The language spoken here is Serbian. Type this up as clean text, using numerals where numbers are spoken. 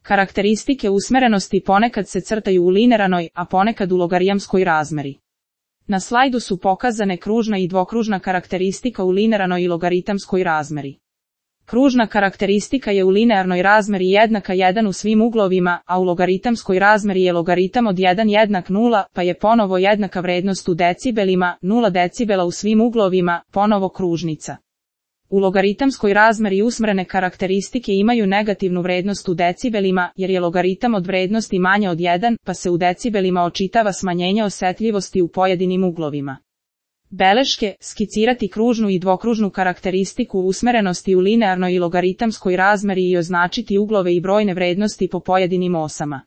Karakteristike usmerenosti ponekad se crtaju u linearnoj, a ponekad u logarijamskoj razmeri. Na slajdu su pokazane kružna i dvokružna karakteristika u linearnoj i logaritamskoj razmeri. Kružna karakteristika je u linearnoj razmeri jednaka 1 u svim uglovima, a u logaritamskoj razmeri je logaritam od 1 jednak 0, pa je ponovo jednaka vrednost u decibelima, 0 decibela u svim uglovima, ponovo kružnica. U logaritamskoj razmeri usmerene karakteristike imaju negativnu vrednost u decibelima, jer je logaritam od vrednosti manja od 1, pa se u decibelima očitava smanjenje osetljivosti u pojedinim uglovima. Beleške, skicirati kružnu i dvokružnu karakteristiku usmerenosti u linearnoj i logaritamskoj razmeri i označiti uglove i brojne vrednosti po pojedinim osama.